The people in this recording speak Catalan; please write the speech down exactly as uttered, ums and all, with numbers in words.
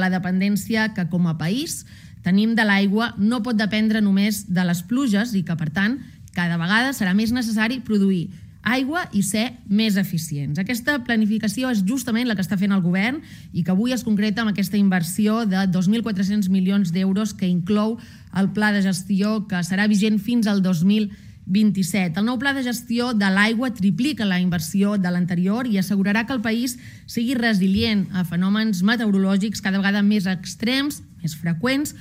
la dependència que com a país tenim de l'aigua no pot dependre només de les pluges i que, per tant, cada vegada serà més necessari produir aigua i ser més eficients. Aquesta planificació és justament la que està fent el govern i que avui es concreta amb aquesta inversió de dos mil quatre-cents milions d'euros que inclou el pla de gestió que serà vigent fins al dos mil vint-i-set. El nou pla de gestió de l'aigua triplica la inversió de l'anterior i assegurarà que el país sigui resilient a fenòmens meteorològics cada vegada més extrems, més freqüents,